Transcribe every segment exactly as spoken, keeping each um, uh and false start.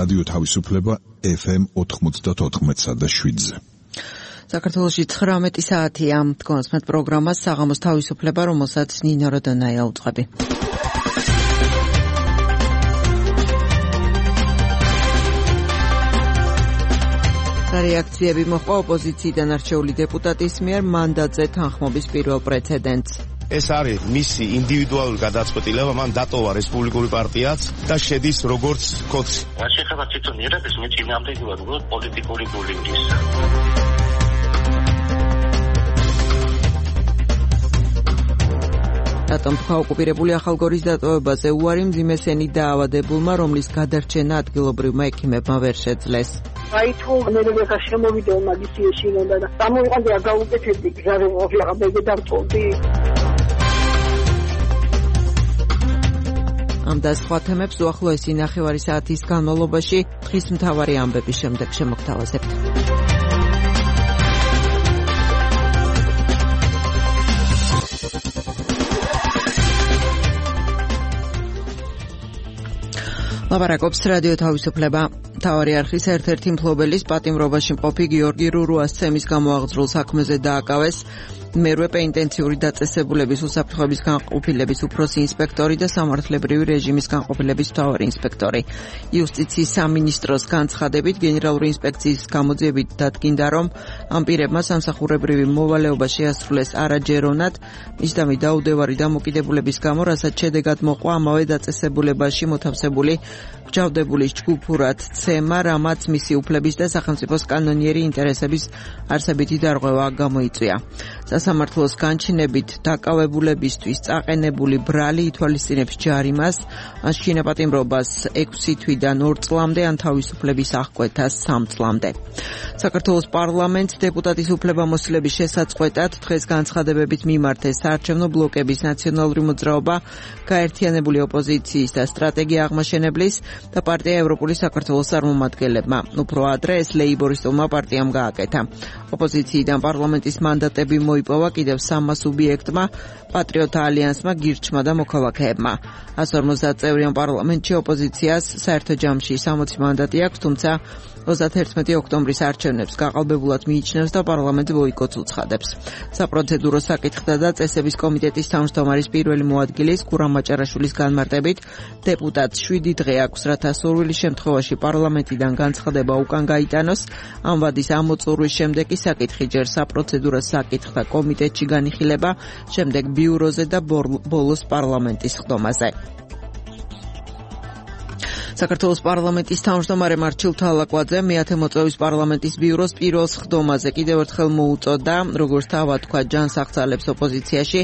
რადიო თავისუფლება ეფ ემ ოთხმოცდაოთხ და შვიდზე. საქართველოში ცხრამეტი საათია. თქვენს პროგრამას საღამოს თავისუფლება, რომელსაც ნინო როდონაია უძღვები. რეაქციები მოჰყვა ოპოზიციიდან არჩეული დეპუტატის მიერ მანდატზე თანხმობის პირველ პრეცედენტს. ეს არის მისი ინდივიდუალური გადაწყვეტილება, მან დატოვა რესპუბლიკური პარტიაც და შედის როგორც კოდში. რაც შეეხება თვითონ იერებს, მე წინააღმდეგობად ვუყურებ პოლიტიკური ბულინგის. რატომ თქვა ოკუპირებული ახალგორის დატოვებაზე უარი მძიმესენი დაავადებულმა, რომლის გადარჩენა ადგილობრივმა ექიმებმა ვერ შეძლეს. აი თუ მერე შემოვიდეო მაგისი ეშინოდა და გამოიყენდა გაუკეთებდი გზაზე ოფიარა ბეგე დამწოვდი. ამ და სხვა თემებს უახლოესი ნახევარი საათის განმავლობაში დღის მთავარი ამბების შემდეგ შემოგთავაზებთ. ლაპარაკობს რადიო თავისუფლება. მთავარი არხის ერთ-ერთი მფლობელის პატიმრობაში მყოფი გიორგი რურუას ცემის გამოაღწრულ საქმეზე დააკავეს მერვე პენიტენციური დაწესებულების უსაფრთხოების განყოფილების უფროსი ინსპექტორი და სამართლებრივი რეჟიმის განყოფილების მთავარი ინსპექტორი. იუსტიციის სამინისტროს განცხადებით გენერალური ინსპექციის გამოძიებით დადგინდა, რომ ამ პირებმა სამსახურებრივი მოვალეობა შეასრულეს არაჯერონად, მისდამი დაუდევარი დამოკიდებულების გამო, რასაც შედეგად მოყვა ამავე დაწესებულებაში მოთავსებული გჯავდებული ჯგუფურად ცემა, რამაც მისი უფლების და სახელმწიფოს კანონიერი ინტერესების არსებითი დარღვევა გამოიწვია. სასამართლოს განჩინებით დაკავებულებისთვის წაყენებული ბრალი ითვალისწინებს ჯარიმას, ან შინაპატიმრობას ექვსი თვიდან ორ წლამდე, ან თავისუფლების აღკვეთას სამ წლამდე. საქართველოს პარლამენტს დეპუტატის უფლებამოსილების შესაწყვეტად დღეს განცხადებებით მიმართეს საარჩევნო ბლოკების ნაციონალური მოძრაობა, გაერთიანებული ოპოზიციის და სტრატეგია აღმაშენებლის და პარტია ევროპული საქართველოს წარმომადგენლებმა. უფრო ადრე ეს ლეიბორისტულმა პარტიამ გააკეთა. ოპოზიციიდან პარლამენტის მანდატები მოიპოვა კიდევ სამმა სუბიექტმა, პატრიოტთა ალიანსმა, გირჩმა და მოქალაქეებმა. ას ორმოცდაათ წევრიან პარლამენტში ოპოზიციას საერთო ჯამში სამოცი მანდატი აქვს, თუმცა ოცდაათერთმეტი ოქტომბრის არჩევნებს გაყალბებულად მიიჩნევს და პარლამენტს ბოიკოტს უცხადებს. საპროცედურო საკითხთა და წესების კომიტეტის თავმჯდომარის პირველი მოადგილის გურამ მაჭარაშვილის განმარტებით, დეპუტატს შვიდი დღე აქვს, რათა სურვილის შემთხვევაში პარლამენტიდან განცხადება უკან გაიტანოს. ამ ვადის ამოწურვის შემდეგ კი საკითხი ჯერ საპროცედურო საკითხთა კომიტეტში განიხილება, შემდეგ ბიუროზე და ბოლოს პარლამენტის ხდომაზე. საქართველოს პარლამენტის თავმჯდომარე მარჩილ თალაკვაძე მეათე მოწვევის პარლამენტის ბიუროს პირველ ხდომაზე კიდევ ერთხელ მოუწოდა, როგორც თავად თქვა, ჯანსაღწალებს ოპოზიციაში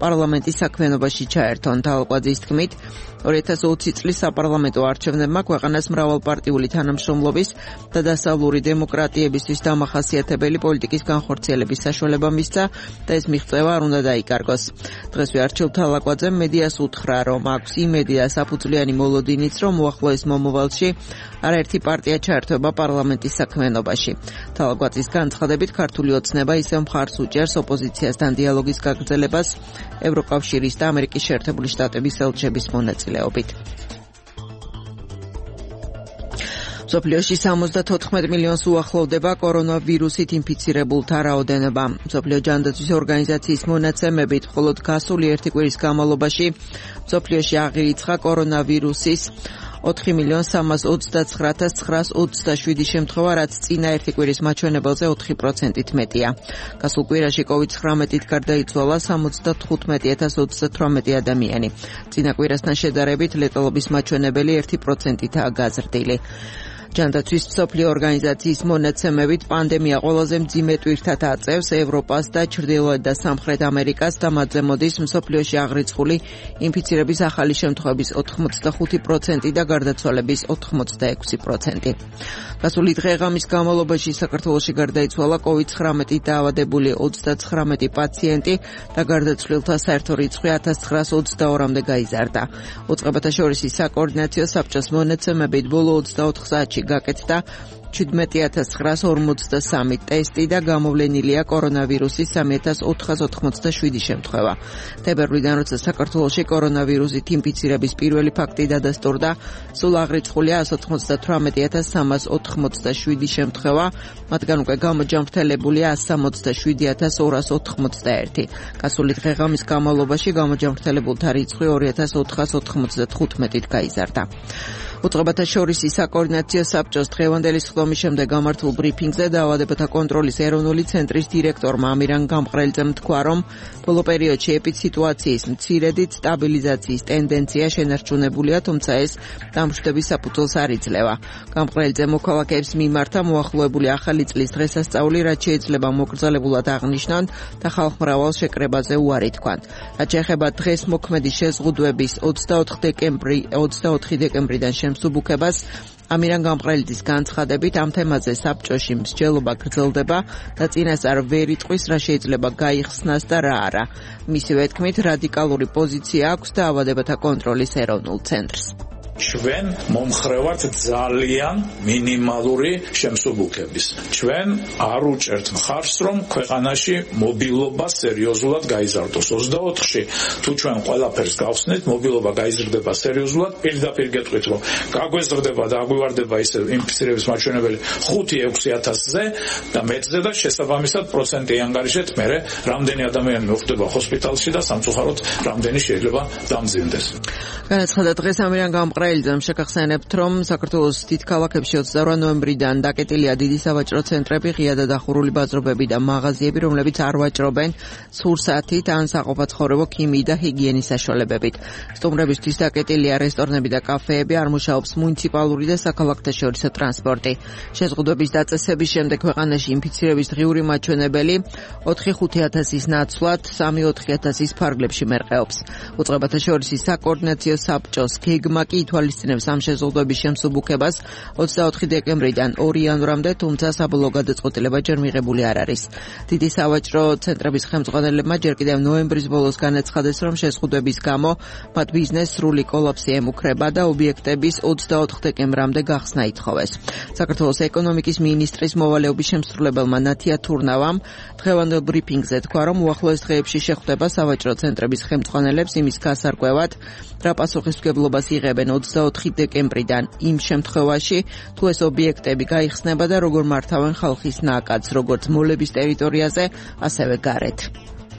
პარლამენტის საქმიანობაში ჩაერთონ. თალაკვაძის თქმით, ორი ათას ოცი წლის საპარლამენტო არჩევნებმა ქვეყანას მრავალპარტიული თანამშრომლობის და დასავლური დემოკრატიებისთვის დამახასიათებელი პოლიტიკის განხორციელების საშუალება მისცა და ეს მიღწევა არ უნდა დაიკარგოს. დღესვე არჩილ თალაკვაძემ მედიას უთხრა, რომ აქვს იმედი და საფუძვლიანი მოლოდინიც, რომ უახლოეს მომავალში არაერთი პარტია ჩაერთვება პარლამენტის საქმიანობაში. თალაკვაძის განცხადებით, ქართული ოცნება ისევ მხარს უჭერს ოპოზიციასთან დიალოგის გაგრძელებას ევროკავშირის და ამერიკის შეერთებული შტატების ელჩების მონაწილეობით. მსოფლიოში სამოცდათოთხმეტ მილიონს უახლოვდება კორონავირუსით ინფიცირებულთა რაოდენობა. მსოფლიო ჯანდაცვის ორგანიზაციის მონაცემებით, მხოლოდ გასული ერთი კვირის განმავლობაში მსოფლიოში აღირიცხა კორონავირუსის ოთხი მილიონი სამას ოცდაცხრა ათას ცხრაას ოცდაშვიდი შემთხვევა, რაც წინა ერთი კვირის მაჩვენებელზე ოთხი პროცენტით მეტია. გასულ კვირაში კოვიდ ცხრამეტით გარდაიცვალა სამოცდათხუთმეტი ათას ოცდათვრამეტი ადამიანი. წინა კვირასთან შედარებით ლეტალობის მაჩვენებელი ერთი პროცენტითაა გაზრდილი. ჯანდაცვის მსოფლიო ორგანიზაციის მონაცემებით, პანდემია ყველაზე მძიმე ტვირთად აწევს ევროპას და ჩრდილოეთ და სამხრეთ ამერიკას და მათზე მოდის მსოფლიოში აღრიცხული ინფიცირების ახალი შემთხვევების ოთხმოცდახუთი პროცენტი და გარდაცვალების ოთხმოცდაექვსი პროცენტი. გასული დღე-ღამის განმავლობაში საქართველოში გარდაიცვალა კოვიდ ცხრამეტით დაავადებული ოცდაცხრამეტი პაციენტი და გარდაცვლილთა საერთო რიცხვი ათას ცხრაას ოცდაორმეტამდე გაიზარდა. უწყებათა შორისი საკოორდინაციო საბჭოს მონაცემებით, ბოლო ოცდაოთხ საათში გაკეთდა შვიდმეტი ათას ცხრაას ორმოცდასამი ტესტი და გამოვლენილია კორონავირუსის სამი ათას ოთხას ოთხმოცდაშვიდი შემთხვევა. თებერვლიდან, როცა საქართველოში კორონავირუსით ინფიცირების პირველი ფაქტი დადასტურდა, სულ აღრიცხულია εκατს ოცდათვრამეტი ათას სამას ოთხმოცდაშვიდი შემთხვევა, მათგან უკვე გამოჯამრთელებულია εκατს სამოცდაშვიდი ათას ორას ოთხმოცდაერთი. გასული დღე-ღამის განმავლობაში გამოჯამრთელებულთა რიცხვი ორი ათას ოთხას ოთხმოცდათხუთმეტით გაიზარდა. უწყებათა შორისი საკოორდინაციო საბჭოს დღევანდელი სხდომის შემდეგ გამართულ ბრიფინგზე დაავადებათა კონტროლის ეროვნული ცენტრის დირექტორმა ამირან გამყრელიძემ თქვა, რომ ბოლო პერიოდში ეპიდსიტუაციის მცირედით სტაბილიზაციის ტენდენცია შენარჩუნებულია, თუმცა ეს დამშვიდობის საფუძველს არ იძლევა. გამყრელიძემ მოქალაქეებს მიმართა მოახლოებული ახალი წლის დღესასწაული, რაც შეიძლება მოკრძალებულად აღნიშნონ და ხალხმრავალ შეკრებაზე უარი თქვან. რაც შეეხება დღეს მოქმედი შეზღუდვების ოცდაოთხი დეკემბრიდან შემსუბუქებას, ამირან გამყრელიძის განცხადებით, ამ თემაზე საბჭოში მსჯელობა გრძელდება და წინასწარ ვერ იტყვის, რა შეიძლება გაიხსნას და რა არა. მისივე თქმით, რადიკალური პოზიცია აქვს დაავადებათა კონტროლის ეროვნულ ცენტრს. ჩვენ მომხრევართ ძალიან მინიმალური შემსუბუქების. ჩვენ არ უჭერთ მხარს, რომ ქვეყანაში მობილობა სერიოზულად გაიზარდოს. ოცდაოთხში თუ ჩვენ ყველაფერს გავხსნით, მობილობა გაიზრდება სერიოზულად, პირდაპირ გეტყვით, რომ გაგვეზრდება და აგვივარდება ისე ინფიცირების მაჩვენებელი ხუთი ექვსი ათასზე და მეტზე და შესაბამისად პროცენტი ანგარიშეთ, მერე რამდენი ადამიანი მოხვდება ჰოსპიტალში და სამწუხაროდ რამდენი შეიძლება დამძიმდეს. განაცხადა დღეს ამირან გამყრელიძემ შეგახსენებთ, რომ საქართველოს დიდ ქალაქებში ოცდაორი ნოემბრიდან დაკეტილია დიდი სავაჭრო ცენტრები, ღია და დახურული ბაზრობები და მაღაზიები, რომლებიც არ ვაჭრობენ სურსათით ან საყოფაცხოვრებო ქიმიით და ჰიგიენის საშუალებებით. სტუმრებისთვის დაკეტილია რესტორნები და კაფეები, არ მუშაობს მუნიციპალური და საქალაქთაშორისო ტრანსპორტი. შეზღუდვების დაწესების შემდეგ ქვეყანაში ინფიცირების დღიური მაჩვენებელი ოთხი ხუთი ათასის ნაცვლად სამი ოთხი ათასის ფარგლებში მერყეობს. უწყებათა შორისი საკოორდინაციო საბჭოს გეგმა კი ითვალისწინებს ამ შეზღუდვების შემსუბუქებას ოცდაოთხი დეკემბრიდან ორი იანვრამდე, თუმცა საბოლოო გადაწყვეტილება ჯერ მიღებული არ არის. დიდი სავაჭრო ცენტრების ხელმძღვანელებმა ჯერ კიდევ ნოემბრის ბოლოს განაცხადეს, რომ შეზღუდვების გამო მათ ბიზნესს სრული კოლაფსი ემუქრება და ობიექტების ოცდაოთხ დეკემბრამდე გახსნა ითხოვეს. საქართველოს ეკონომიკის მინისტრის მოვალეობის შემსრულებელმა ნათია თურნავამ დღევანდელ ბრიფინგზე თქვა, რომ უახლოეს დღეებში შეხვდება სავაჭრო ცენტრების ხელმძღვანელებს იმის გასარკვევად, რა პასუხისმგებლობას იღებენ ოცდაოთხი დეკემბრიდან იმ შემთხვევაში, თუ ეს ობიექტები გაიხსნება და როგორ მართავენ ხალხის ნაკადს, როგორც მოლების ტერიტორიაზე, ასევე გარეთ.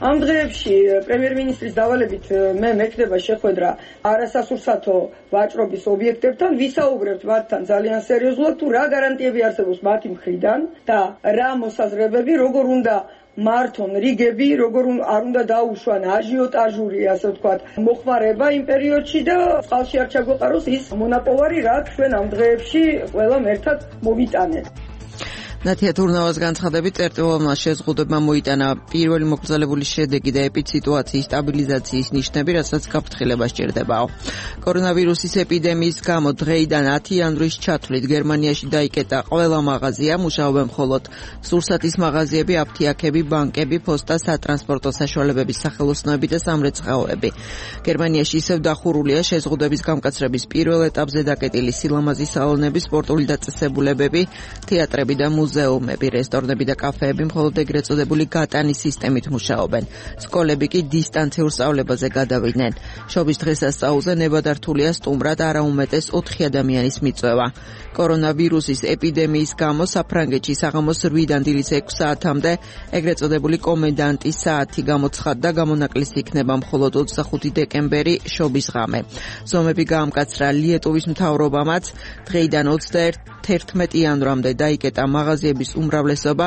ამ დღეებში პრემიერ-მინისტრის დავალებით მე მექნება შეხვედრა არასასურსათო ვაჭრობის ობიექტებთან, ვისაუბრებთ მათთან ძალიან სერიოზულად, თუ რა გარანტიები არსებობს მათი მხრიდან და რა მოსაზრებები, როგორ უნდა მართონ რიგები, როგორ არ უნდა დაუშვან აჟიოტაჟური, ასე ვთქვათ, მოხმარება იმ პერიოდში და წყალში არ ჩაგვეყაროს ის მონაპოვარი, რაც ჩვენ ამ დღეებში ყველამ ერთად მოვიტანეთ. ნათია თურნავას განცხადებით, წერტილოვანმა შეზღუდვებმა მოიტანა პირველი მოკრძალებული შედეგი და ეპიდსიტუაციის სტაბილიზაციის ნიშნები, რასაც გაფრთხილება სჭირდებაო. კორონავირუსის ეპიდემიის გამო დღეიდან ათი იანვრის ჩათვლით გერმანიაში დაიკეტა ყველა მაღაზია, მუშაობენ მხოლოდ სურსათის მაღაზიები, აფთიაქები, ბანკები, პოსტა, სატრანსპორტო საშუალებების სახელოსნოები და სამრეცხაოები. გერმანიაში ისევ დახურულია შეზღუდვების გამკაცრების პირველ ეტაპზე დაკეტილი სილამაზის სალონები, სპორტული დაწესებულებები, თეატრები და მუზეუმები. მუზეუმები, რესტორნები და კაფეები მხოლოდ ეგრეთ წოდებული გატანის სისტემით მუშაობენ. სკოლები კი დისტანციურ სწავლებაზე გადავიდნენ. შობის დღესასწაულზე ნებადართულია სტუმრად არაუმეტეს ოთხი ადამიანის მიწვევა. კორონავირუსის ეპიდემიის გამო საფრანგეთში საღამოს რვიდან დილის ექვს საათამდე ეგრეთ წოდებული კომენდანტის საათი გამოცხადდა, გამონაკლისი იქნება მხოლოდ ოცდახუთი დეკემბერი, შობის ღამე. ზომები გაამკაცრა ლიეტუვის მთავრობამაც, დღეიდან ოცდაერთი იანვრამდე დაიკეტა მაღაზიების უმრავლესობა,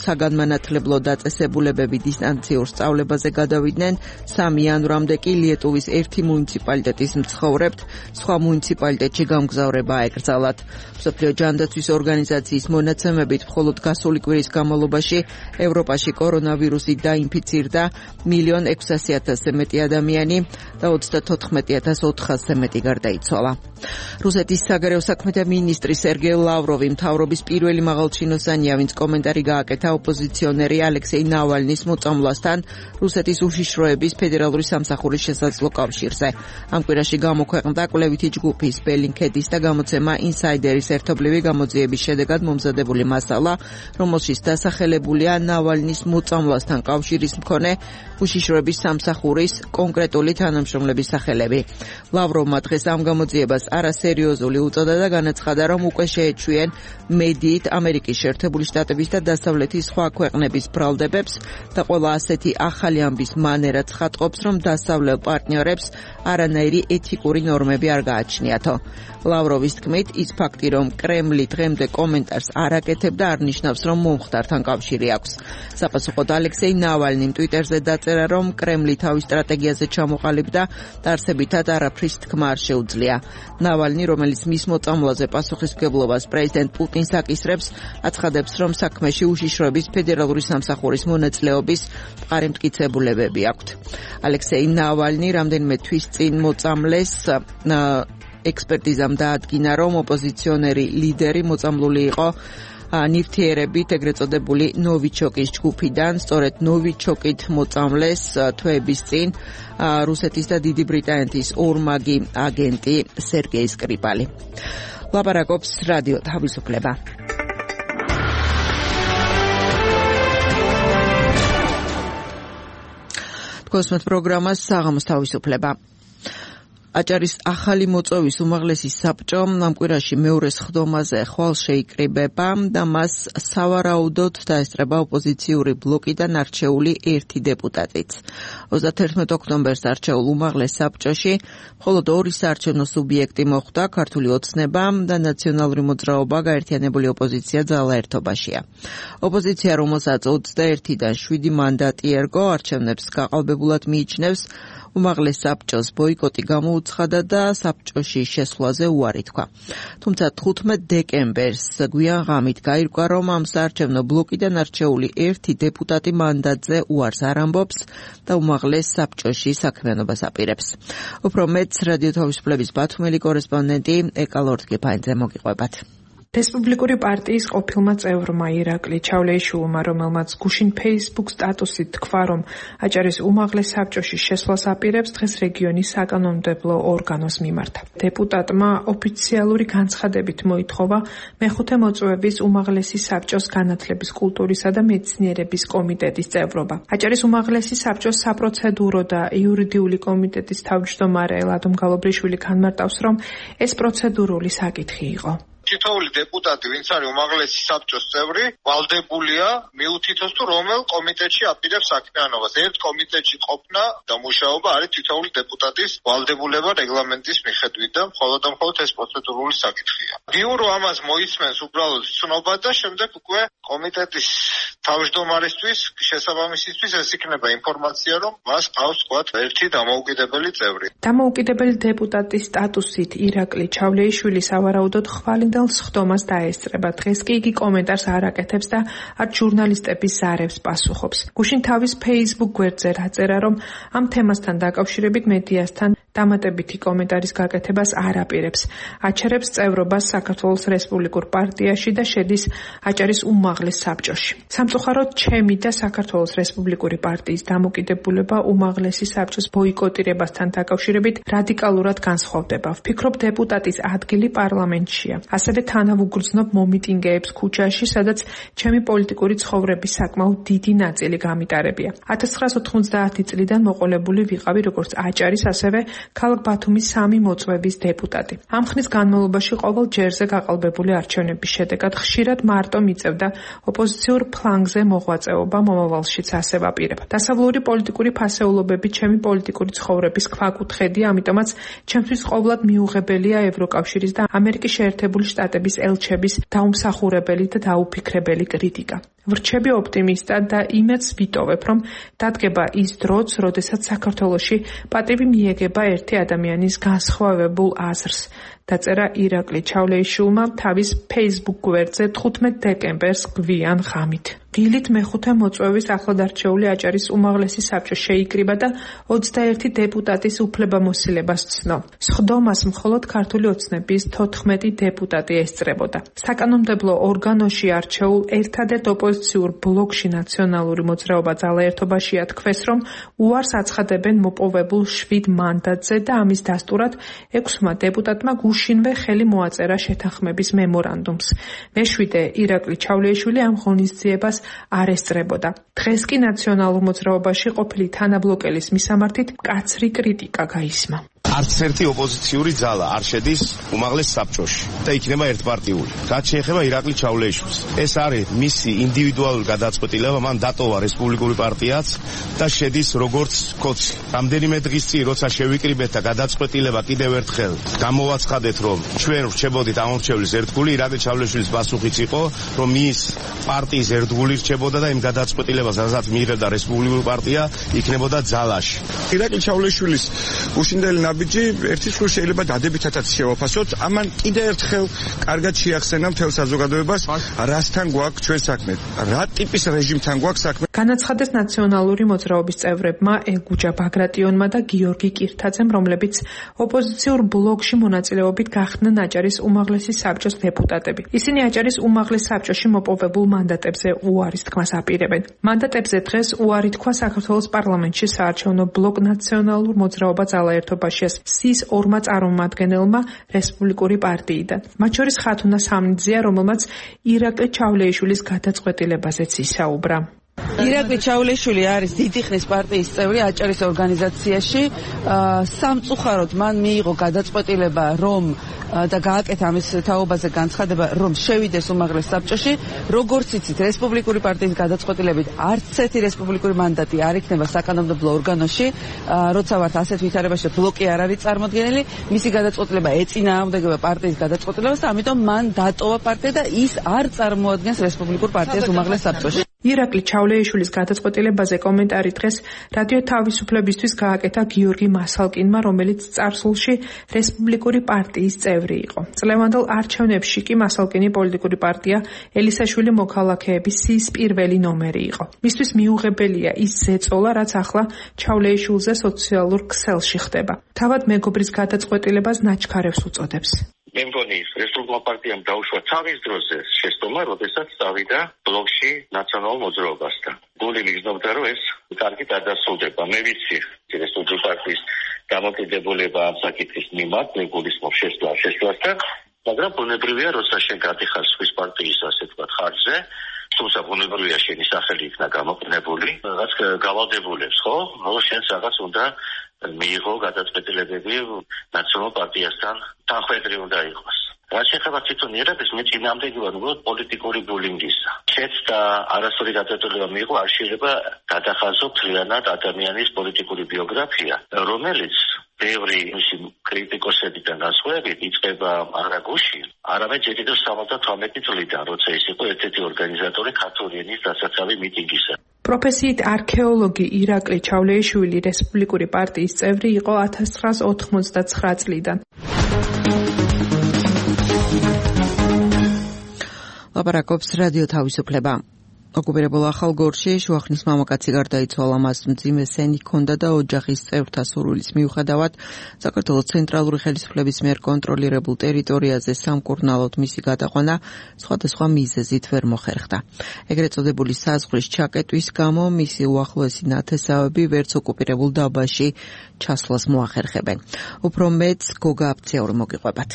საგანმანათლებლო დაწესებულებები დისტანციურ სწავლებაზე გადავიდნენ, სამი იანვრამდე კი ლიეტუვის ერთი მუნიციპალიტეტის მცხოვრებთ სხვა მუნიციპალიტეტში გამგზავრება აეკრძალათ. მსოფლიო ჯანდაცვის ორგანიზაციის მონაცემებით მხოლოდ გასული კვირის განმავლობაში ევროპაში კორონავირუსით დაინფიცირდა მილიონ ექვსასი ათასზე მეტი ადამიანი და ოცდათოთხმეტი ათას ოთხასზე მეტი გარდაიცვალა. რუსეთის საგარეო საქმეთა მინისტრი სერგეი ლავროვი მთავრობის პირველი პირველი მაღალჩინოსანია, ვინც კომენტარი გააკეთა ოპოზიციონერი ალექსეი ნავალნის მოწამვლასთან რუსეთის უშიშროების ფედერალური სამსახურის შესაძლო კავშირზე. ამ კვირაში გამოქვეყნდა კვლევითი ჯგუფის ბელინქედის და გამოცემა ინსაიდერის ერთობლივი გამოძიების შედეგად მომზადებული მასალა, რომელშიც დასახელებულია ნავალნის მოწამვლასთან კავშირის მქონე უშიშროების სამსახურის კონკრეტული თანამშრომლების სახელები. ლავროვმა დღეს ამ გამოძიებას არასერიოზული უწოდა და განაცხადა, რომ უკვე შეეჩვიენ მედიით ამერიკის შეერთებული შტატების და დასავლეთის სხვა ქვეყნების ბრალდებებს და ყველა ასეთი ახალი ამბის მანერა ცხადყოფს, რომ დასავლელ პარტნიორებს არანაირი ეთიკური ნორმები არ გააჩნიათო. ლავროვის თქმით, ის ფაქტი, რომ კრემლი დღემდე კომენტარს არ აკეთებდა, არ ნიშნავს, რომ მომხდართან კავშირი აქვს. საპასუხოდ ალექსეი ნავალნიმ ტვიტერზე დაწერა, რომ კრემლი თავის სტრატეგიაზე ჩამოყალიბდა და არსებითად არაფრის თქმა არ შეუძლია. ნავალნი, რომელიც მის მოწამვლაზე პასუხისმგებლობას პრეზიდენტ პუტინს აკისრებს, აცხადებს, რომ საქმეში უშიშროების ფედერალური სამსახურის მონაწილეობის მყარი მტკიცებულებები აქვთ. ალექსეი ნავალნი რამდენიმე თვის წინ მოწამლეს ექსპერტიზამ დაადგინა, რომ ოპოზიციონერი ლიდერი მოწამლული იყო ნივთიერებით ეგრეთ წოდებული ნოვიჩოკის ჯგუფიდან. სწორედ ნოვიჩოკით მოწამლეს თვეების წინ რუსეთის და დიდი ბრიტანეთის ორმაგი აგენტი სერგეი სკრიპალი. ლაპარაკობს რადიო თავისუფლება. თქვენს პროგრამას საღამოს თავისუფლება. აჭარის ახალი მოწვევის უმაღლესი საბჭო ამ კვირაში მეორე სხდომაზე ხვალ შეიკრიბება და მას სავარაუდოდ დაესწრება ოპოზიციური ბლოკიდან არჩეული ერთი დეპუტატიც. ოცდაათერთმეტ ოქტომბერს არჩეულ უმაღლეს საბჭოში მხოლოდ ორი საარჩევნო სუბიექტი მოხვდა, ქართული ოცნება და ნაციონალური მოძრაობა გაერთიანებული ოპოზიცია ძალაერთობაშია. ოპოზიცია, რომელსაც ოცდაერთიდან შვიდი მანდატი ერგო, არჩევნებს გაყალბებულად მიიჩნევს, უმაღლეს საბჭოს ბოიკოტი გამოუცხადა და საბჭოში შესვლაზე უარი თქვა. თუმცა თხუთმეტ დეკემბერს გვიან ღამით გაირკვა, რომ ამ საარჩევნო ბლოკიდან არჩეული ერთი დეპუტატი მანდატზე უარს არ ამბობს და უმაღლეს საბჭოში საქმიანობას აპირებს. უფრო მეტს რადიო თავისუფლების ბათუმელი კორესპონდენტი ეკალორდ გეფაინძე მოგიყვებათ. რესპუბლიკური პარტიის ყოფილმა წევრმა ირაკლი ჩავლეიშვილმა, რომელმაც გუშინ Facebook სტატუსით თქვა, რომ აჭარის უმაღლეს საბჭოში შესვლას აპირებს, დღეს რეგიონის საკანონმდებლო ორგანოს მიმართა. დეპუტატმა ოფიციალური განცხადებით მოითხოვა მეხუთე მოწვევის უმაღლესი საბჭოს განათლების, კულტურისა და მეცნიერების კომიტეტის წევრობა. აჭარის უმაღლესი საბჭოს საპროცედურო და იურიდიული კომიტეტის თავმჯდომარე ლადო მგალობრიშვილი განმარტავს, რომ ეს პროცედურული საკითხი იყო. თითოეული დეპუტატი, ვინც არის უმაღლესი საბჭოს წევრი, ვალდებულია მიუთითოს თუ რომელ კომიტეტში აპირებს საქმიანობას. ერთ კომიტეტში ყოფნა და მუშაობა არის თითოეული დეპუტატის ვალდებულება რეგლამენტის მიხედვით და მხოლოდ და მხოლოდ ეს პროცედურული საკითხია. ბიურო ამას მოისმენს უბრალოდ ცნობა და შემდეგ უკვე კომიტეტის თავმჯდომარისთვის შესაბამისისთვის ეს იქნება ინფორმაცია, რომ მას ყავს თქვათ ერთი დამოუკიდებელი წევრი. დამოუკიდებელი დეპუტატის სტატუსით ირაკლი ჩავლეიშვილი სავარაუდოდ ხვალინდა სხდომას დაესწრება. დღეს კი იგი კომენტარს არ აკეთებს და არც ჟურნალისტების ზარებს პასუხობს. გუშინ თავის Facebook გვერდზე დაწერა, რომ ამ თემასთან დაკავშირებით მედიასთან დამატებითი კომენტარის გაკეთებას არ აპირებს. აჩერებს წევრობას საქართველოს რესპუბლიკურ პარტიაში და შედის აჭარის უმაღლეს საბჭოში. სამწუხაროდ ჩემი და საქართველოს რესპუბლიკური პარტიის დამოკიდებულება უმაღლესი საბჭოს ბოიკოტირებასთან დაკავშირებით რადიკალურად განსხვავდება. ვფიქრობ, დეპუტატის ადგილი პარლამენტშია. ასევე თანავუგრძნობ მომიტინგეებს ქუჩაში, სადაც ჩემი პოლიტიკური ცხოვრების საკმაოდ დიდი ნაწილი გამიტარებია. ათას ცხრაას ოთხმოცდაათი წლიდან მოყოლებული ვიყავი როგორც აჭარის, ასევე ქალაქ ბათუმის სამი მოწვევის დეპუტატი. ამ ხნის განმავლობაში ყოველ ჯერზე გაყალბებული არჩევნების შედეგად ხშირად მარტო მიწევდა ოპოზიციურ ფლანგზე მოღვაწეობა, მომავალშიც ასე ვაპირებ. დასავლური პოლიტიკური ფასეულობები ჩემი პოლიტიკური ცხოვრების ქვაკუთხედია, ამიტომაც ჩემთვის ყოვლად მიუღებელია ევროკავშირის და ამერიკის შეერთებული შტატების ელჩების დაუმსახურებელი და დაუფიქრებელი კრიტიკა. ვრჩები ოპტიმისტად და იმედს ვიტოვებ, რომ დადგება ის დროც, როდესაც საქართველოში პატივი მიეგება ერთი ადამიანის განსხვავებულ აზრს. დაწერა ირაკლი ჩავლეიშვილმა თავის Facebook გვერდზე თხუთმეტ დეკემბერს გვიან ღამით. დილით მეხუთე მოწვევის ახლადარჩეული აჭარის უმაღლესი საბჭო შეიკრიბა და ოცდაერთი დეპუტატის უფლებამოსილებას ცნო. სხდომას მხოლოდ ქართული ოცნების თოთხმეტი დეპუტატი ესწრებოდა. საკანონმდებლო ორგანოში არჩეულ ერთადერთ ოპოზიციურ ბლოკში ნაციონალური მოძრაობა ძალაერთობაში ათქვეს, რომ უარს აცხადებენ მოპოვებულ შვიდ მანდატზე და ამის დასტურად ექვსმა დეპუტატმა გუშინვე ხელი მოაწერა შეთანხმების მემორანდუმს. მეშვიდე ირაკლი ჩავლეიშვილი ამ ღონისძიებას არ ესწრებოდა. დღეს კი ნაციონალურ მოძრაობაში ყოფილი თანაბლოკელის მისამართით მკაცრი კრიტიკა გაისმა. არც ერთი ოპოზიციური ძალა არ შედის უმაღლეს საბჭოში და იქნება ერთპარტიული. რაც შეეხება ირაკლი ჩავლეიშვილს, ეს არის მისი ინდივიდუალური გადაწყვეტილება, მან დატოვა რესპუბლიკური პარტიაც და შედის როგორც კოცი. რამდენიმე დღის წინ როცა შევიკრიბეთ და გადაწყვეტილება კიდევ ერთხელ გამოვაცხადეთ, რომ ჩვენ ვრჩებოდით ამორჩევლის ერთგული, ირაკლი ჩავლეიშვილის პასუხიც იყო, რომ ის პარტიის ერთგული რჩებოდა და იმ გადაწყვეტილებას, რასაც მიიღებდა რესპუბლიკური პარტია, იქნებოდა ძალაში. ირაკლი ჩავლეიშვილის უშინდელი ნაბიჯი ერთი მხრივ შეიძლება დადებითადაც შევაფასოთ. ამან კიდევ ერთხელ კარგად შეახსენა მთელ საზოგადოებას, რასთან გვაქვს ჩვენ საქმე, რა ტიპის რეჟიმთან გვაქვს საქმე. განაცხადეს ნაციონალური მოძრაობის წევრებმა ელგუჯა ბაგრატიონმა და გიორგი კირთაძემ, რომლებიც ოპოზიციურ ბლოკში მონაწილეობით გახდნენ აჭარის უმაღლესი საბჭოს დეპუტატები. ისინი აჭარის უმაღლეს საბჭოში მოპოვებულ მანდატებზე უარის თქმას აპირებენ. მანდატებზე დღეს უარი თქვა საქართველოს პარლამენტში საარჩევნო ბლოკ ნაციონალურ მოძრაობა ძალაერთობაში სის ორმა წარმომადგენელმა რესპუბლიკური პარტიიდან. მათ შორის ხათუნა სამნიძეა, რომელმაც ირაკლი ჩავლეიშვილის გადაწყვეტილებაზეც ისაუბრა. ირაკლი ჩავლეიშვილი არის დიდი ხნის პარტიის წევრი აჭარის ორგანიზაციაში. სამწუხაროდ მან მიიღო გადაწყვეტილება, რომ და გააკეთა ამის თაობაზე განცხადება, რომ შევიდეს უმაღლეს საბჭოში. როგორც იცით, რესპუბლიკური პარტიის გადაწყვეტილებით არც ერთი რესპუბლიკური მანდატი არ იქნება საკანონმდებლო ორგანოში, როცა ვართ ასეთ ვითარებაში და ბლოკი არ არის წარმოდგენილი. მისი გადაწყვეტილება ეწინააღმდეგება პარტიის გადაწყვეტილებას, ამიტომ მან დატოვა პარტია და ის არ წარმოადგენს რესპუბლიკურ პარტიას უმაღლეს საბჭოში. ირაკლი ჩავლეიშვილის გადაწყვეტილებაზე კომენტარი დღეს რადიო თავისუფლებისთვის გააკეთა გიორგი მასალკინმა, რომელიც წარსულში რესპუბლიკური პარტიის წევრი იყო. წლევანდელ არჩევნებში კი მასალკინი პოლიტიკური პარტია ელისაშვილი მოქალაქეების სის პირველი ნომერი იყო. მისთვის მიუღებელია ის ზეწოლა, რაც ახლა ჩავლეიშვილზე სოციალურ ქსელში ხდება. თავად მეგობრის გადაწყვეტილებას ნაჩქარევს უწოდებს. მე მგონი რესპუბლიკურ პარტიამ დაუშვა თავის დროზე შეცდომა, როდესაც წავიდა ბლოკში ნაციონალურ მოძრაობასთან. გული მიგზნობდა, რომ ეს კარგი გადასრულდება. მე ვიცი რესპუბლიკურ პარტიის დამოკიდებულება ამ საკითხის მიმართ, მე გულისხმობ შესვლა შესვლასთან, მაგრამ ბუნებრივია, როცა შენ გადიხარ სხვის პარტიის, ასე ვთქვათ, ხარჯზე, თუმცა ბუნებრივია შენი სახელი იქნა გამოყენებული, რაღაც გავალდებულებს, ხო? რომ შენს რაღაც უნდა მიიღო გადაწყვეტილებები ნაციონალურ პარტიასთან თანხმედრი უნდა იყოს. რაც შეეხება თვითონ ირაკლს, მე წინააღმდეგი ვარ უბრალოდ პოლიტიკური ბულინგისა. შეც და არასწორი გადაწყვეტილება მიიღო, არ შეიძლება გადახაზო მთლიანად ადამიანის პოლიტიკური ბიოგრაფია, რომელიც ბევრი მისი კრიტიკოსებიდან განსხვავებით იწყება არა გუშინ, არამედ ჯერ კიდევ სამოცდათვრამეტი წლიდან, როცა ის იყო ერთ-ერთი ორგანიზატორი ქართული ენის დასაცავი მიტინგისა. პროფესიით არქეოლოგი ირაკლი ჩავლეიშვილი რესპუბლიკური პარტიის წევრი იყო ათას ცხრაას ოთხმოცდაცხრა წლიდან. ლაპარაკობს რადიო თავისუფლება. ოკუპირებულ ახალგორში შუახნის მამაკაცი გარდაიცვალა, მას მძიმე სენი ჰქონდა და ოჯახის წევრთა სურვილის მიუხედავად საქართველოს ცენტრალური ხელისუფლების მიერ კონტროლირებულ ტერიტორიაზე სამკურნალოდ მისი გადაყვანა სხვადასხვა მიზეზით ვერ მოხერხდა. ეგრეთ წოდებული საზღვრის ჩაკეტვის გამო მისი უახლოესი ნათესავები ვერც ოკუპირებულ დაბაში ჩასვლას მოახერხებენ. უფრო მეც გოგა აფციური მოგიყვებათ.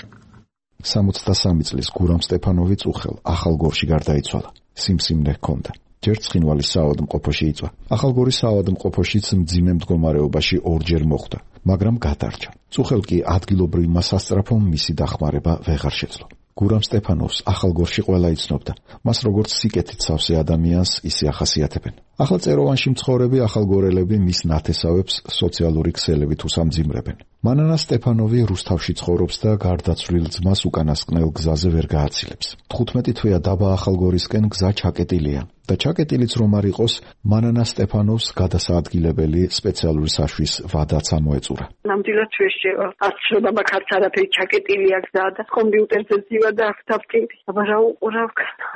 სამოცდასამი წლის გურამ სტეფანოვი წუხელ ახალგორში გარდაიცვალა. სიმსივნე ჰქონდა. ჯერ ცხინვალის საავადმყოფოში იწვა. ახალგორის საავადმყოფოშიც მძიმე მდგომარეობაში ორჯერ მოხვდა, მაგრამ გადარჩა. წუხელ კი ადგილობრივმა სასწრაფომ მისი დახმარება ვეღარ შეძლო. გურამ სტეფანოვს ახალგორში ყველა იცნობდა. მას როგორც სიკეთით სავსე ადამიანს ისე ახასიათებენ. ახალ წეროვანში მცხოვრები ახალგორელები მის ნათესავებს სოციალური ქსელებით უსამძიმრებენ. მანანა სტეფანოვი რუსთავში ცხოვრობს და გარდაცვლილ ძმას უკანასკნელ გზაზე ვერ გააცილებს. თხუთმეტი თვეა დაბა ახალგორისკენ გზა ჩაკეტილია და ჩაკეტილიც რომ არ იყოს, მანანა სტეფანოვს გადასაადგილებელი სპეციალური საშვის ვადაც ამოეწურა. ნამდვილად შეშევა. არც შრომა ქარც არაფერი ჩაკეტილია გზა და კომპიუტერზე ძივა და ავტავტირი. აბა რა უყურავ,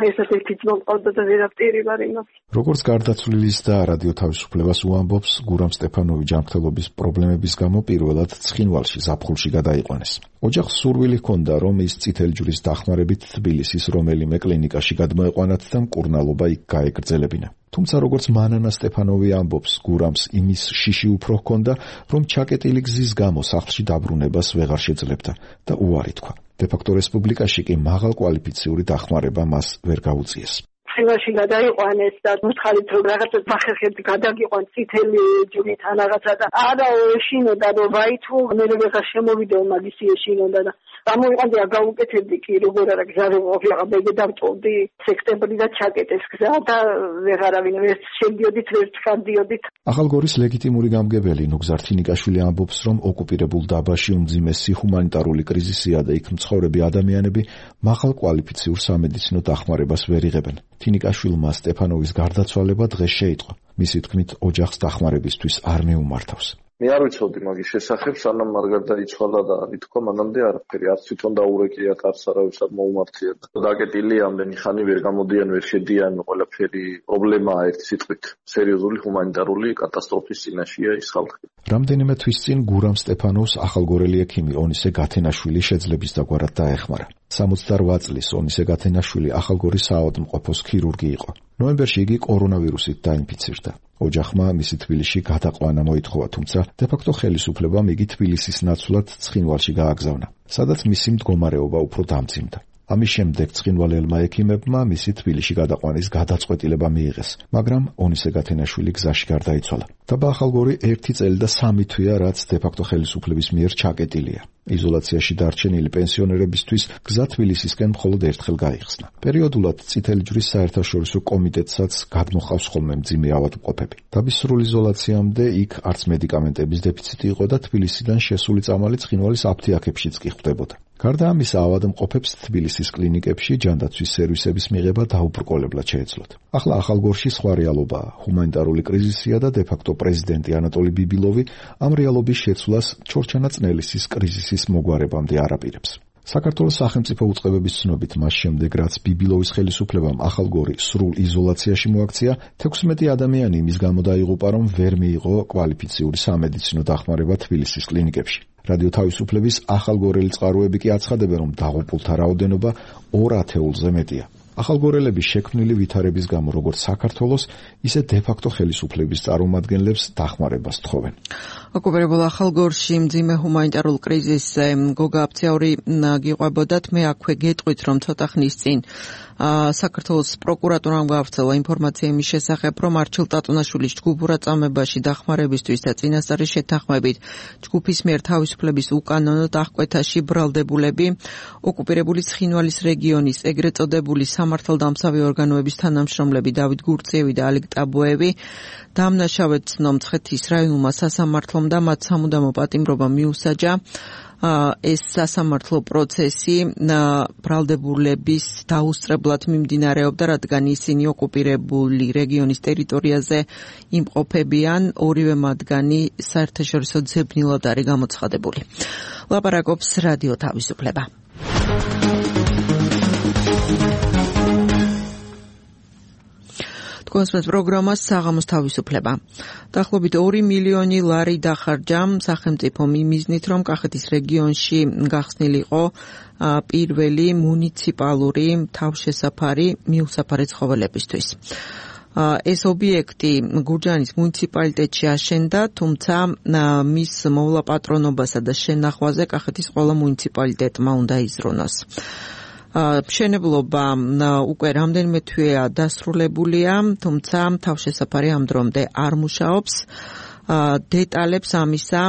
ესეთ ერთი ძმა მყავდა და ვერაფერი ვარ იმას. როგორც გარდაცვლილის და რადიო თავისუფლებას უამბობს, გურამ სტეფანოვი ჯანმრთელობის პრობლემების გამო პირველად ცხინვალში ზაფხულში გადაიყვანეს. ოჯახს სურვილი ჰქონდა, რომ ის წითელი ჯვრის დახმარებით თბილისის რომელიმე კლინიკაში გადმოეყვანათ და მკურნალობა იქ გაეგრძელებინა. თუმცა როგორც მანანა სტეფანოვი ამბობს, გურამს იმის შიში უფრო ჰქონდა, რომ ჩაკეტილი გზის გამო სახლში დაბრუნებას ვეღარ შეძლებდა და უარი თქვა. დე-ფაქტო რესპუბლიკაში კი მაღალკვალიფიციური დახმარება მას ვერ გაუწიეს. ხილაში გადაიყვანეს და მოთხარით რომ რაღაცა სახერხები გადაგიყვან წითელი ჯვრით ან რაღაცა და არა ეშინოდა რომ ვაითო მე ვეღარ შემოვიდეო მაგისი ეშინოდა და გამოიყვანდი რა გაუკეთებდი კი როგორ არა გზაზე ვიყავ მე დავტოვდი სექტემბრი და ჩაკეტეს გზა და ვეღარავინ ვერ შედიოდით ვერ ჩქარდიოდით. ახალგორის ლეგიტიმური გამგებელი ნუგზარ თინიკაშვილი ამბობს, რომ ოკუპირებულ დაბაში უმძიმესი ჰუმანიტარული კრიზისია და იქ მცხოვრები ადამიანები მაღალკვალიფიციურ სამედიცინო დახმარებას ვერ იღებენ. თინიკაშვილმა სტეფანოვის გარდაცვალება დღეს შეიტყო. მისი თქმით, ოჯახს დახმარებისთვის არ მეუმართავს. მე არ ვიცოდი მაგის შესახებ, სანამ არ გარდაიცვალა და ითქვა მანამდე არაფერი, არც თვითონ დაურეკიათ, არც არავის არ მოუმართია. დაკეტილი ამდენი ხანი ვერ გამოდიან, ვერ შედიან, ყველაფერი პრობლემაა ერთი სიტყვით. სერიოზული ჰუმანიტარული კატასტროფის წინაშეა ის ხალხი. რამდენიმე თვის წინ გურამ სტეფანოვს ახალგორელი ექიმი ონისე გათენაშვილი შეძლების დაგვარად დაეხმარა. სამოცდაორ წლის ონისე გათენაშვილი ახალგორის საავადმყოფოს ქირურგი იყო. ნოემბერში იგი კორონავირუსით დაინფიცირდა. ოჯახმა მისი თბილისში გადაყვანა მოითხოვა, თუმცა დე-ფაქტო ხელისუფლებამ იგი თბილისის ნაცვლად ცხინვალში გააგზავნა, სადაც მისი მდგომარეობა უფრო დამძიმდა. ამის შემდეგ ცხინვალელმა ექიმებმა მისი თბილისში გადაყვანის გადაწყვეტილება მიიღეს, მაგრამ ონისე გათენაშვილი გზაში გარდაიცვალა. დაბა ახალგორი ერთი წელი და სამი თვეა, რაც დე-ფაქტო ხელისუფლების მიერ ჩაკეტილია. იზოლაციაში დარჩენილი პენსიონერებისთვის გზა თბილისისკენ მხოლოდ ერთხელ გაიხსნა. პერიოდულად წითელი ჯვრის საერთაშორისო კომიტეტსაც გადმოჰყავს ხოლმე მძიმე ავადმყოფები. დაბის სრულ იზოლაციამდე იქ არც მედიკამენტების დეფიციტი იყო და თბილისიდან შესული წამალი ცხინვალის აფთიაქებშიც კი ხვდებოდა. გარდა ამისა, ავადმყოფებს თბილისის კლინიკებში ჯანდაცვის სერვისების მიღება დაუბრკოლებლად შეეძლოთ. ახლა ახალგორში სხვა რეალობაა. ჰუმანიტარული კრიზისია და დე-ფაქტო პრეზიდენტი ანატოლი ბიბილოვი ამ რეალობის შეცვლას ჩორჩანა წნელისის კრიზისის მოგვარებამდე არ აპირებს. საქართველოს სახელმწიფო უწყებების ცნობით, მას შემდეგ რაც ბიბილოვის ხელისუფლებამ ახალგორი სრულ იზოლაციაში მოაქცია, თექვსმეტი ადამიანი იმის გამო დაიღუპა, რომ ვერ მიიღო კვალიფიციური სამედიცინო დახმარება თბილისის კლინიკებში. რადიო თავისუფლების ახალგორელი წყაროები კი აცხადებენ, რომ დაღუპულთა რაოდენობა ორ ათეულზე მეტია. ახალგორელების შექმნილი ვითარების გამო როგორც საქართველოს, ისე დე-ფაქტო ხელისუფლების წარმომადგენლებს დახმარებას თხოვენ. ოკუპირებულ ახალგორში მძიმე ჰუმანიტარულ კრიზისზე გოგა აფციური გიყვებოდათ, მე აქვე გეტყვით, რომ ცოტა ხნის წინ საქართველოს პროკურატურამ გაავრცელა ინფორმაცია იმის შესახებ, რომ არჩილ ტატუნაშვილის ჯგუფურ აწამებაში დახმარებისთვის და წინასწარი შეთანხმებით ჯგუფის მიერ თავისუფლების უკანონო დახკვეთაში ბრალდებულები ოკუპირებული ცხინვალის რეგიონის ეგრეთ წოდებული სამართალდამცავი ორგანოების თანამშრომლები დავით გურწიევი და ალიკ ტაბოევი დამნაშავედ ცნო მცხეთის რაიონულმა სასამართლომ და მათ სამუდამო პატიმრობა მიუსაჯა. ეს სასამართლო პროცესი ბრალდებულების დაუსწრებლად მიმდინარეობდა, რადგან ისინი ოკუპირებული რეგიონის ტერიტორიაზე იმყოფებიან, ორივე მათგანი საერთაშორისო ძებნილად არის გამოცხადებული. ლაპარაკობს რადიო თავისუფლება. კონსპект პროგრამას საღამოს თავისუფლება. დაახლოებით ორი მილიონი ლარი დახარჯა სახელმწიფომ იმიზნით, რომ კახეთის რეგიონში გახსნილიყო პირველი მუნიციპალური თავშესაფარი მიუსაფარი ცხოველებისთვის. ეს ობიექტი გურჯაანის მუნიციპალიტეტში აშენდა, თუმცა მის მოვლაპატრონობასა და შენახვაზე კახეთის ყველა მუნიციპალიტეტმა უნდა იზრუნოს. მშენებლობა უკვე რამდენიმე თვეა დასრულებულია, თუმცა თავშესაფარი ამ დრომდე არ მუშაობს. დეტალებს ამისა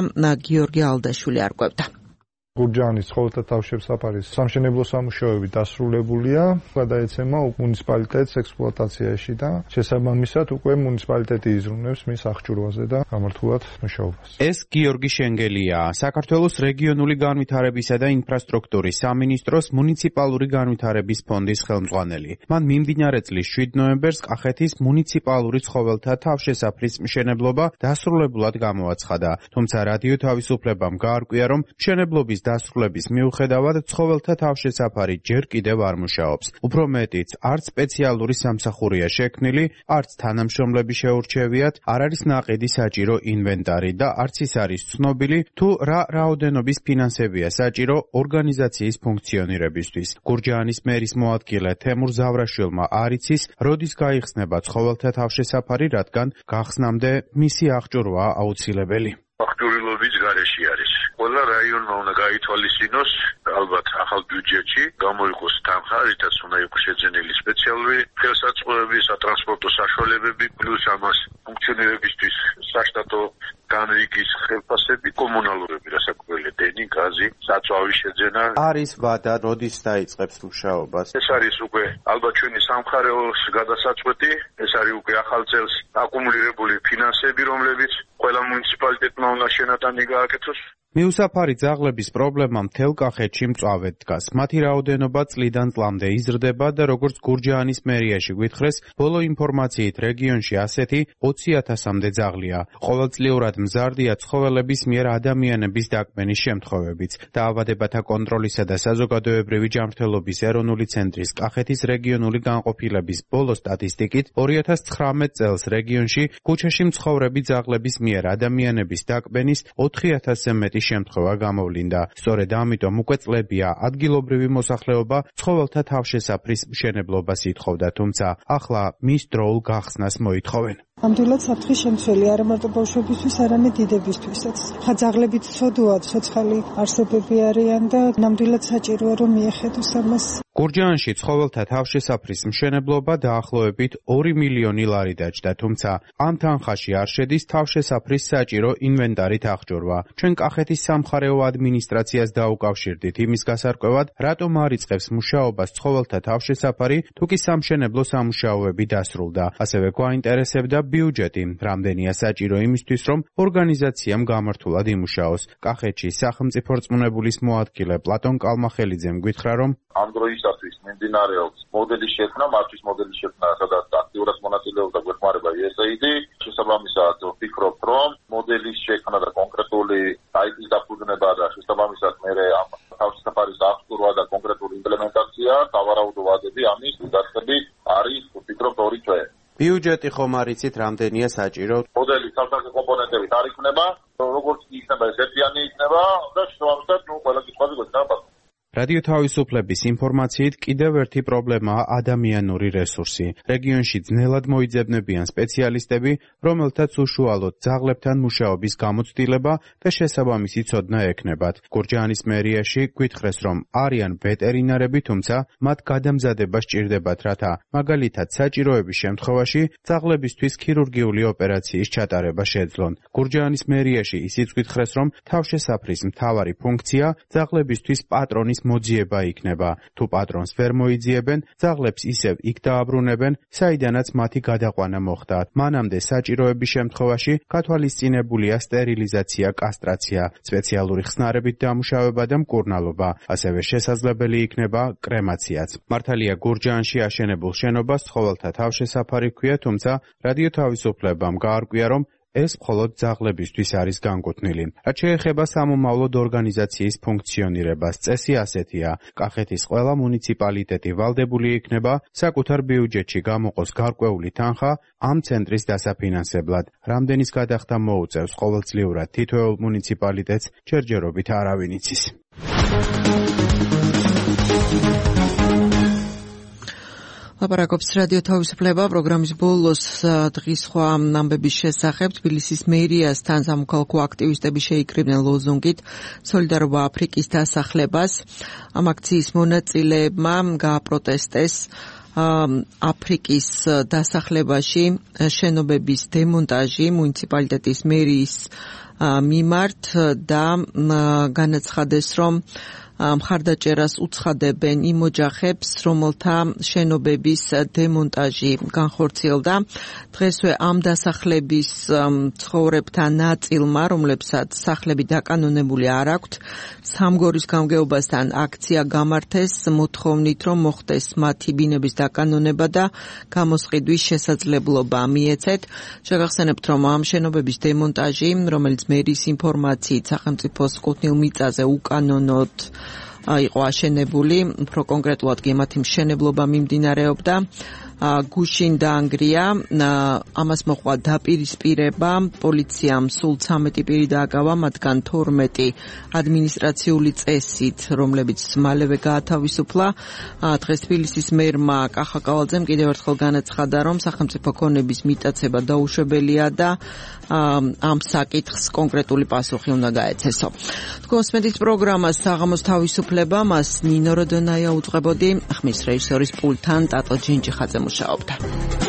გიორგი ალდაშვილი არკვევდა. გურჯაანის ცხოველთა თავშესაფარის სამშენებლო სამუშაოები დასრულებულია, გადაეცემა მუნიციპალიტეტს ექსპლუატაციაში და შესაბამისად უკვე მუნიციპალიტეტი იზრუნებს მის აღჭურვაზე და გამართულად მუშაობას. ეს გიორგი შენგელია, საქართველოს რეგიონული განვითარებისა და ინფრასტრუქტურის სამინისტროს მუნიციპალური განვითარების ფონდის ხელმძღვანელი. მან მიმდინარე წლის შვიდ ნოემბერს კახეთის მუნიციპალური ცხოველთა თავშესაფრის მშენებლობა დასრულებულად გამოაცხადა. თუმცა რადიო თავისუფლებამ გაარკვია, რომ მშენებლობის დასრულების მიუხედავად ცხოველთა თავშესაფარი ჯერ კიდევ არ მუშაობს. უფრო მეტიც, არც სპეციალური სამსახურია შექმნილი, არც თანამშრომლები შეურჩევიათ, არ არის ნაყიდი საჭირო ინვენტარი და არც ის არის ცნობილი, თუ რა რაოდენობის ფინანსებია საჭირო ორგანიზაციის ფუნქციონირებისთვის. გურჯაანის მერის მოადგილე თემურ ზავრაშვილმა არ იცის, როდის გაიხსნება ცხოველთა თავშესაფარი, რადგან გახსნამდე მისი აღჭურვა აუცილებელი. აღჭურვილობის გარეშე არის. ყველა რაიონმა უნდა გაითვალისწინოს, ალბათ ახალ ბიუჯეტში გამოიყოს თანხა, რითაც უნდა იყოს შეძენილი სპეციალური ხელსაწყოები, სატრანსპორტო საშუალებები, პლუს ამას ფუნქციონირებისთვის საშტატო განრიგის ხელფასები, კომუნალურები, რასაკვირველია, დენი, გაზი, საწვავის შეძენა. არის ვადა, როდის დაიწყებს მუშაობას? ეს არის უკვე ალბათ ჩვენი სამხარეოს გადასაწყვეტი, ეს არის უკვე ახალ წელს აკუმულირებული ფინანსები, რომლებიც ყველა მუნიციპალიტეტმა უნდა შენატანი გააკეთოს. მიუსაფარი ძაღლების პრობლემა მთელ კახეთში მწვავედ დგას. მათი რაოდენობა წლიდან წლამდე იზრდება და როგორც გურჯაანის მერიაში გვითხრეს, ბოლო ინფორმაციით რეგიონში ასეთი ოცი ათასამდე ძაღლია. ყოველწლიურად მზარდია ცხოველების მიერ ადამიანების დაკმენის შემთხვევებიც. დაავადებათა კონტროლისა და საზოგადოებრივი ჯანმრთელობის ეროვნული ცენტრის კახეთის რეგიონული განყოფილების ბოლო სტატისტიკით ორი ათას ცხრამეტ წელს რეგიონში ქუჩაში მცხოვრები ძაღლების მიერ ადამიანების დაკმენის ოთხი ათასზე მეტი შემთხვევა გამოვლინდა. სწორედ ამიტომ უკვე წლებია ადგილობრივი მოსახლეობა ცხოველთა თავშესაფრის მშენებლობას ითხოვდა, თუმცა ახლა მის დროულ გახსნას მოითხოვენ. ამდენად საფრთხის შემცველი არა მარტო ბავშვებისთვის, არამედ დიდებისთვისაც. ხა ძაღლებით ცოდუა, ცოცხალი არსებები არიან და ნამდვილად საჭიროა რომ მიეხედოს ამას. გურჯაანში ცხოველთა თავშესაფრის მშენებლობა დაახლოებით ორი მილიონი ლარი დაჯდა, თუმცა ამ თანხაში არ შედის თავშესაფრის საჭირო ინვენტარით აღჭურვა. ჩვენ კახეთის სამხარეო ადმინისტრაციას დაუკავშირდით იმის გასარკვევად, რატომ არ იწყებს მუშაობას ცხოველთა თავშესაფარი, თუ კი სამშენებლო სამუშაოები დასრულდა. ასევე გვაინტერესებდა ბიუჯეტი, რამდენია საჭირო იმისთვის, რომ ორგანიზაციამ გამართულად იმუშაოს. კახეთში სახელმწიფო რწმუნებულის მოადგილე პლატონ კალმახელიძემ გითხრა, რომ ამ დროისათვის მიმდინარეობს მოდელის შექმნა, მართვის მოდელის შექმნა, სადაც აქტიურად მონაწილეობდა გვეხმარება იუ ეს έი დი. შესაბამისად ვფიქრობ, რომ მოდელის შექმნა და კონკრეტული საიტის დაფუძნება და შესაბამისად მერე ამ თავშესაფარის აღჭურვა და კონკრეტული იმპლემენტაცია, სავარაუდო ვადები ამის დაწესები არის, ვფიქრობ, ორი თვე. ბიუჯეტი ხომ არ იცით, რამდენია საჭირო? მოდელის სამსახური კომპონენტებით არ იქნება, როგორც იქნება ეს ერთიანი იქნება და შესაბამისად ნუ ყველა კითხვაზე გვექნება. რადიო თავისუფლების ინფორმაციით კიდევ ერთი პრობლემაა ადამიანური რესურსი. რეგიონში ძნელად მოიძებნებიან სპეციალისტები, რომელთაც უშუალოდ ძაღლებთან მუშაობის გამოცდილება და შესაბამისი ცოდნა ექნებათ. გურჯაანის მერიაში გვითხრეს, რომ არიან ვეტერინარები, თუმცა მათ გადამზადება სჭირდებათ, რათა მაგალითად საჭიროების შემთხვევაში ძაღლებისთვის ქირურგიული ოპერაციის ჩატარება შეძლონ. გურჯაანის მერიაში ისიც გვითხრეს, რომ თავშესაფრის მთავარი ფუნქცია ძაღლებისთვის პატრონის მოძიება იქნება. თუ პატრონს ვერ მოიძიებენ, ძაღლებს ისევ იქ დააბრუნებენ, საიდანაც მათი გადაყვანა მოხდა. მანამდე საჭიროების შემთხვევაში გათვალისწინებულია სტერილიზაცია, კასტრაცია, სპეციალური ხსნარებით დამუშავება და მკურნალობა. ასევე შესაძლებელი იქნება კრემაციაც. მართალია გურჯაანში აშენებულ შენობას ცხოველთა თავშესაფარი ჰქვია, თუმცა რადიო თავისუფლებამ გაარკვია, რომ ეს მხოლოდ ძაღლებისთვის არის განკუთვნილი. რაც შეეხება სამომავლოდ ორგანიზაციის ფუნქციონირებას, წესი ასეთია: კახეთის ყველა მუნიციპალიტეტი ვალდებული იქნება საკუთარ ბიუჯეტში გამოყოს გარკვეული თანხა ამ ცენტრის დასაფინანსებლად. რამდენის გადახდა მოუწევს ყოველწლიურად თითოეულ მუნიციპალიტეტს, ჯერჯერობით არავინ იცის. ლაპარაკობს რადიო თავისუფლება პროგრამის ბოლოს დღის სხვა ამბების შესახებ. თბილისის მერიასთან სამოქალაქო აქტივისტები შეიკრიბნენ ლოზუნგით სოლიდარობა აფრიკის დასახლებას. ამ აქციის მონაწილეებმა გააპროტესტეს აფრიკის დასახლებაში შენობების დემონტაჟი მუნიციპალიტეტის მერის მიმართ და განაცხადეს, რომ მხარდაჭერას უცხადებენ იმ ოჯახებს, რომელთა შენობების დემონტაჟი განხორციელდა. დღესვე ამ დასახლების ცხოვრებთან ნაწილმა, რომლებსაც სახლები დაკანონებული არ აქვთ, სამგორის გამგეობასთან აქცია გამართეს, მოთხოვნით, რომ მოხდეს მათი ბინების დაკანონება და გამოსყიდვის შესაძლებლობა მიეცეთ. შეგახსენებთ, რომ ამ შენობების დემონტაჟი, რომელიც მერის ინფორმაციით სახელმწიფოს კუთვნილ მიწაზე უკანონოდ იყო აშენებული, უფრო კონკრეტულად კი მათი მშენებლობა მიმდინარეობდა. გუშინ დაანგრია, ამას მოყვა დაპირისპირება, პოლიციამ სულ ცამეტი პირი დააკავა, მათგან თორმეტი ადმინისტრაციული წესით, რომლებიც მალევე გაათავისუფლა. დღეს თბილისის მერმა კახა კავალძემ კიდევ ერთხელ განაცხადა, რომ სახელმწიფო ქონების მიტაცება დაუშვებელია და ამ საკითხს კონკრეტული პასუხი უნდა გაეცესო. თქვენ მსმენთ პროგრამას საღამოს თავისუფლება, მას ნინო როდონაია უძღვებოდი, ხმის რეჟისორის პულტთან ტატო ჯინჯიხაძე მუშაობდა.